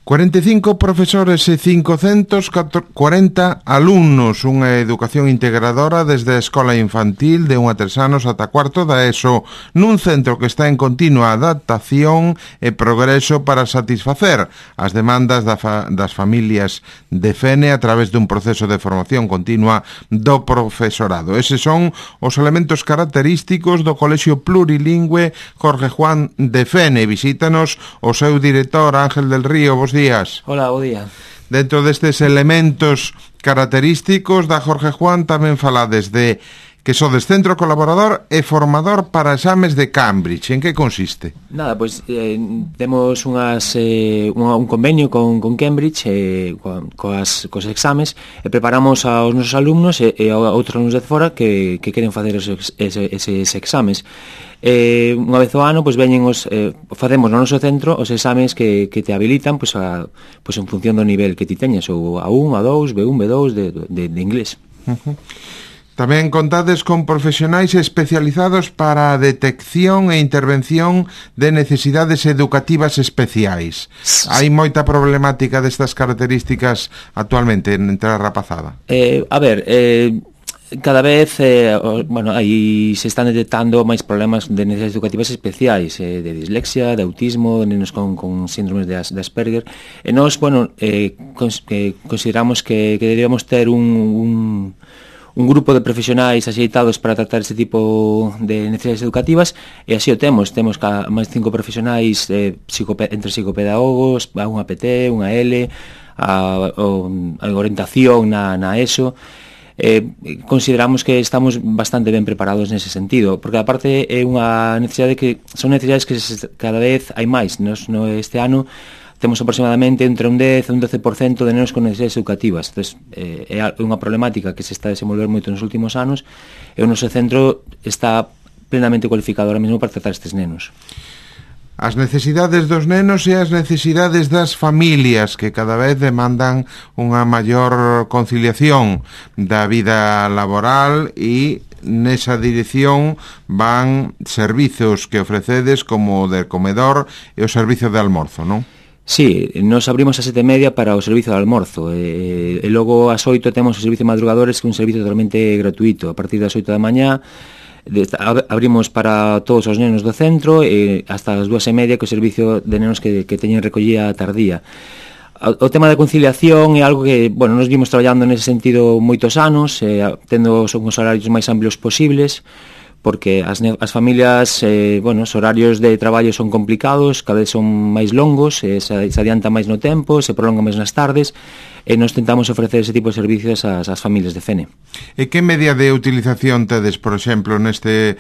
45 profesores e 540 alumnos, unha educación integradora desde a escola infantil de 1 a 3 anos ata cuarto da ESO, nun centro que está en continua adaptación e progreso para satisfacer as demandas das familias de Fene a través dun proceso de formación continua do profesorado. Eses son os elementos característicos do Colexio Plurilingüe Jorge Juan de Fene. Visítanos o seu director Ángel del Río. Bos días. Hola, bo día. Dentro destes elementos característicos da Jorge Juan tamén falades de que sodes centro colaborador e formador para exames de Cambridge. En que consiste? Nada, pois temos un convenio con Cambridge cos exames e preparamos aos nosos alumnos e a outros alumnos de fora que queren facer eses exames. Unha vez ao ano, pois veñen facemos no noso centro os exames que te habilitan pois en función do nivel que ti teñas, ou A1, A2, B1, B2 de inglés. Tamén contades con profesionais especializados para a detección e intervención de necesidades educativas especiais. Hai moita problemática destas características actualmente entre a rapazada? Cada vez aí se están detectando máis problemas de necesidades educativas especiais, de dislexia, de autismo, de nenos con síndromes de Asperger, e nós, consideramos que deberíamos ter un grupo de profesionais axeitados para tratar este tipo de necesidades educativas, e así o temos máis 5 profesionais entre psicopedagogos, unha PT, unha L, a orientación na ESO. Consideramos que estamos bastante ben preparados nese sentido, porque aparte é unha necesidade son necesidades que cada vez hai máis. Este ano temos aproximadamente entre un 10 e un 12% de nenos con necesidades educativas. Entonces, é unha problemática que se está a desenvolver moito nos últimos anos, e o noso centro está plenamente cualificado ahora mesmo para tratar estes nenos. As necesidades dos nenos e as necesidades das familias, que cada vez demandan unha maior conciliación da vida laboral, e nesa dirección van servizos que ofrecedes como o del comedor e o servizo de almorzo, non? Sí, nos abrimos a 7:30 para o servizo de almorzo, e logo ás 8 temos o servizo de madrugadores, que é un servizo totalmente gratuito. A partir das 8 da mañá abrimos para todos os nenos do centro e hasta as 2:30 que o servicio de nenos que teñen recollida tardía. O tema da conciliación é algo que, nos vimos traballando nese sentido moitos anos, tendo os horarios máis amplios posibles, porque as familias, os horarios de traballo son complicados, cada vez son máis longos, se adianta máis no tempo, se prolonga máis nas tardes, e nos tentamos ofrecer ese tipo de servicios ás familias de Fene. E que media de utilización tedes, por exemplo, neste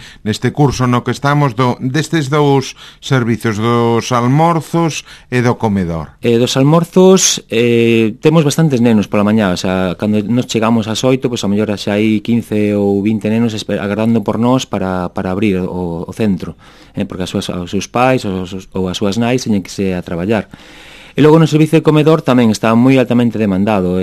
curso no que estamos, destes dous servicios, dos almorzos e do comedor? Dos almorzos temos bastantes nenos pola mañá, cando nos chegamos ás 8, a mellor xa hai 15 ou 20 nenos agardando por nós para abrir o centro, porque os seus pais ou as súas nais teñen que se a traballar. E logo no servicio de comedor tamén está moi altamente demandado,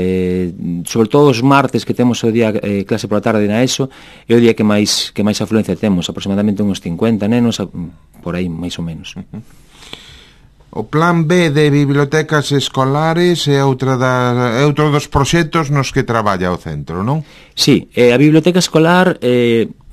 sobre todo os martes, que temos o día clase pola tarde na ESO, é o día que máis afluencia temos, aproximadamente uns 50 nenos, por aí máis ou menos. O plan B de bibliotecas escolares é outro dos proxectos nos que traballa o centro, non? Sí, a biblioteca escolar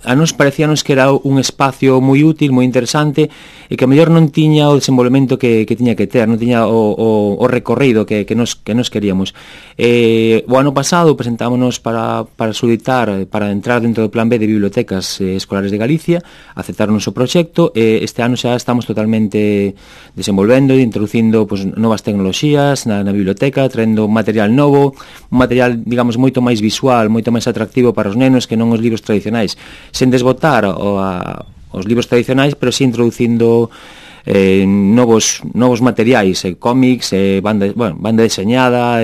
a nos parecíanos que era un espacio moi útil, moi interesante, e que a mellor non tiña o desenvolvemento que tiña que ter, non tiña o recorrido que nos queríamos. O ano pasado presentámonos para solicitar, para entrar dentro do plan B de bibliotecas escolares de Galicia, aceptaron o noso proxecto, e este ano xa estamos totalmente desenvolvendo e introducindo novas tecnoloxías na biblioteca, traendo material novo, un material, digamos, moito máis visual, moito máis atractivo para os nenos que non os libros tradicionais, sen desbotar os libros tradicionais, pero si introducindo novos materiais, cómics, banda deseñada,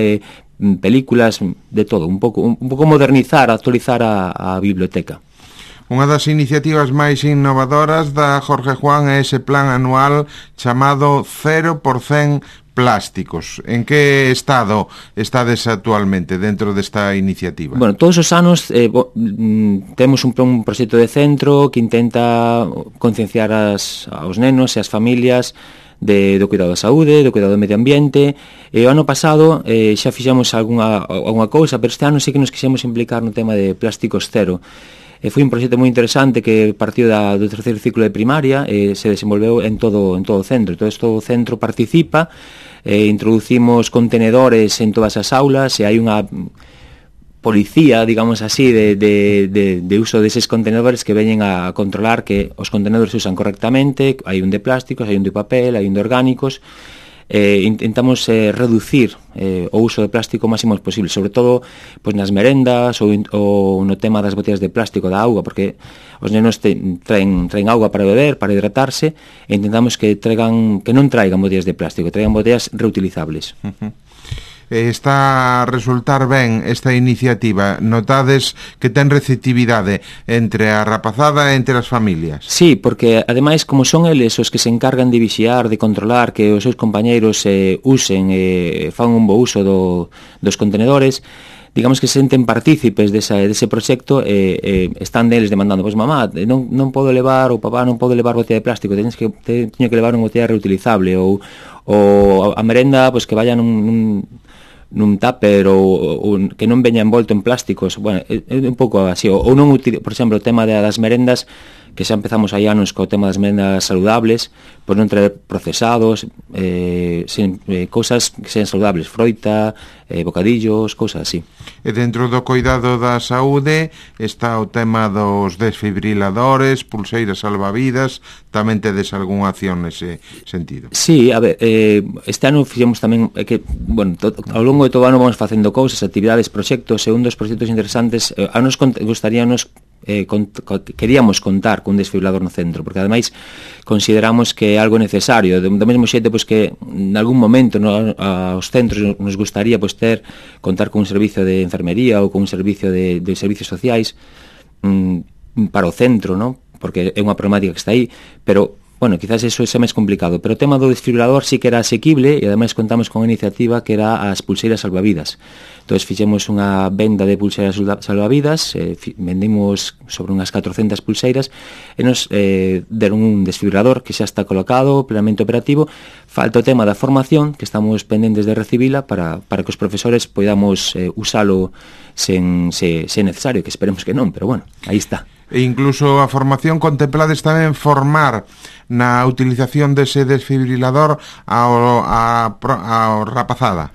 películas, de todo, un pouco modernizar, actualizar a biblioteca. Unha das iniciativas máis innovadoras da Jorge Juan é ese plan anual chamado 0% plásticos. En que estado estades actualmente dentro desta iniciativa? Todos os anos temos un proxecto de centro que intenta concienciar aos nenos e as familias do cuidado da saúde, do cuidado do medio ambiente. E o ano pasado xa fixemos algunha cousa, pero este ano sí que nos quixemos implicar no tema de plásticos cero. Foi un proxecto moi interesante que partiu do terceiro ciclo de primaria e se desenvolveu en todo o centro. Todo o centro participa, introducimos contenedores en todas as aulas e hai unha policía, digamos así, de uso deses contenedores que veñen a controlar que os contenedores se usan correctamente. Hai un de plásticos, hai un de papel, hai un de orgánicos. Intentamos reducir o uso de plástico o máximo posible, sobre todo pois nas merendas ou no tema das botellas de plástico da auga, porque os nenos traen auga para beber, para hidratarse, e intentamos que non traigan botellas de plástico, que traigan botellas reutilizables. Está a resultar ben esta iniciativa? Notades que ten receptividade entre a rapazada e entre as familias? Sí, porque ademais como son eles os que se encargan de vixiar, de controlar que os seus compañeiros usen e fan un bo uso dos contenedores, digamos que se senten partícipes dese proxecto e están deles demandando, pois mamá, non podo levar, ou papá, non podo levar botella de plástico, teño que levar unha botella reutilizable, ou a merenda, pois que vaya nun tupper ou que non veña envolto en plásticos. Bueno, é un pouco así, ou non por exemplo, o tema das merendas, que xa empezamos hai anos co tema das merendas saludables, por non traer procesados, cousas que sean saludables, froita, bocadillos, cousas así. E dentro do cuidado da saúde está o tema dos desfibriladores, pulseiras salvavidas, tamén tedes algunha acción nese sentido? Sí, a ver, este ano fixemos tamén que, bueno, ao longo de todo o ano vamos facendo cousas, actividades, proxectos, e un dos proxectos interesantes, a nos gustaríanos queríamos contar cun desfibrilador no centro, porque ademais consideramos que é algo necesario, do mesmo xeito pois que en algún momento aos centros nos gustaría pois contar con un servicio de enfermería ou con un servicio de servicios sociais para o centro, ¿no? Porque é unha problemática que está aí, pero bueno, quizás eso é máis complicado, pero o tema do desfibrilador sí que era asequible e ademais contamos con unha iniciativa que era as pulseiras salvavidas. Entón fixemos unha venda de pulseiras salvavidas, vendimos sobre unhas 400 pulseiras e nos deron un desfibrilador que xa está colocado, plenamente operativo. Falta o tema da formación, que estamos pendentes de recibila para que os profesores podamos usalo se necesario, que esperemos que non, pero bueno, aí está. E incluso a formación contemplades tamén formar na utilización dese desfibrilador a rapazada?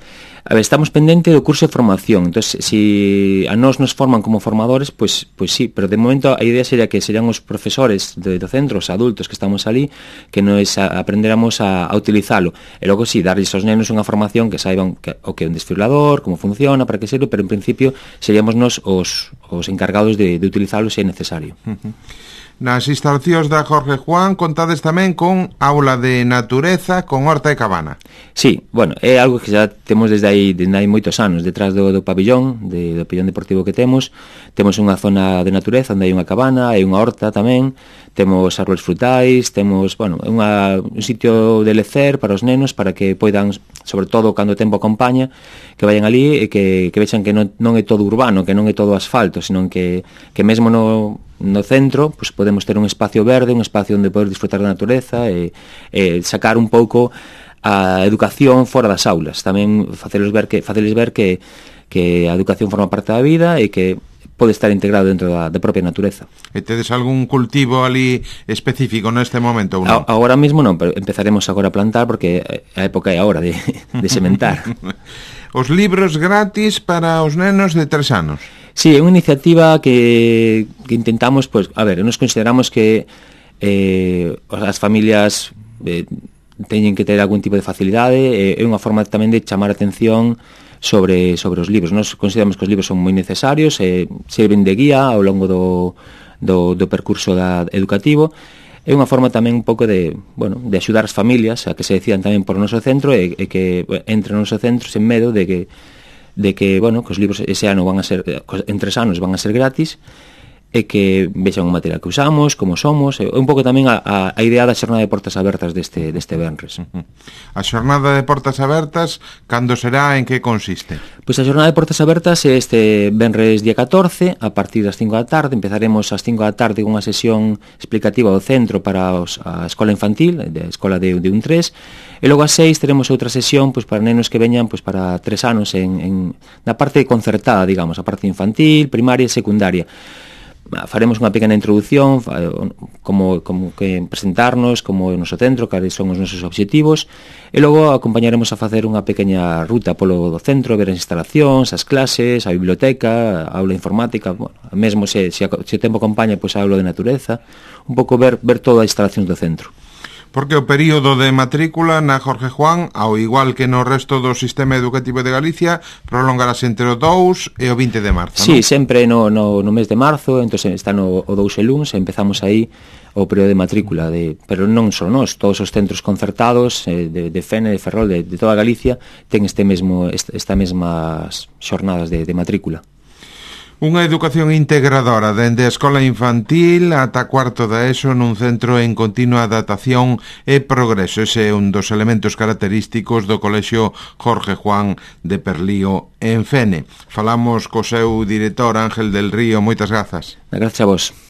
A ver, estamos pendente do curso de formación. Entón, se a nos forman como formadores, pois sí, pero de momento a idea sería que serían os profesores do centro, os adultos que estamos ali, que nos aprendéramos a utilizalo. E logo sí, darles aos nenos unha formación que saiban o que é un desfibrilador, como funciona, para que serve, pero en principio seríamos nos os encargados de utilizalo se é necesario. Nas instalacións da Jorge Juan contades tamén con aula de natureza con horta e cabana. Sí, bueno, é algo que xa temos desde hai moitos anos, detrás do pabillón, do pabillón deportivo que temos unha zona de natureza onde hai unha cabana, hai unha horta tamén, temos árbores frutais, temos, bueno, un sitio de lecer para os nenos, para que poidan, sobre todo cando o tempo acompaña, que vayan ali e que vexan que non é todo urbano, que non é todo asfalto, senón que mesmo no centro pues podemos ter un espacio verde, un espacio onde poder disfrutar da natureza e sacar un pouco a educación fora das aulas, tamén faceles ver que a educación forma parte da vida e que pode estar integrado dentro da propia natureza. E tedes algún cultivo ali específico neste momento ou non? Agora mesmo non, pero empezaremos agora a plantar porque a época é a hora de sementar. Os libros gratis para os nenos de 3 anos. Sí, é unha iniciativa que intentamos, pues, a ver, nos consideramos que as familias teñen que ter algún tipo de facilidade, é unha forma tamén de chamar a atención sobre os libros. Nos consideramos que os libros son moi necesarios, serven de guía ao longo do percurso educativo. É unha forma tamén un pouco de axudar as familias a que se decidan tamén por o noso centro e que entren no noso centro sen medo de que os libros ese ano van a ser, en 3 anos van a ser gratis e que vexan o material que usamos, como somos, e un pouco tamén a idea da xornada de portas abertas deste venres. A xornada de portas abertas, cando será, en que consiste? Pois a xornada de portas abertas é este venres día 14, a partir das 5 da tarde. Empezaremos ás 5 da tarde con unha sesión explicativa do centro para a escola infantil, a escola de 1-3, e logo ás 6 teremos outra sesión pois para nenos que veñan pois para 3 anos na parte concertada, digamos, a parte infantil, primaria e secundaria. Faremos unha pequena introducción, como que presentarnos, como o noso centro, cales son os nosos obxectivos, e logo acompañaremos a facer unha pequena ruta polo do centro, ver as instalacións, as clases, a biblioteca, a aula informática, bueno, mesmo se o tempo acompaña, pois a aula de natureza, un pouco ver toda a instalación do centro. Porque o período de matrícula na Jorge Juan, ao igual que no resto do sistema educativo de Galicia, prolongarase entre o 2 e o 20 de marzo, Sí, non? sempre no mes de marzo, entón está o 2 e luns, empezamos aí o período de matrícula, pero non só nós, todos os centros concertados de FENE, de Ferrol, de toda Galicia, ten esta mesmas xornadas de matrícula. Unha educación integradora dende a escola infantil ata cuarto da ESO nun centro en continua adaptación e progreso. Ese é un dos elementos característicos do Colexio Jorge Juan de Perlío en Fene. Falamos co seu director Ángel del Río. Moitas grazas. Gracias a vos.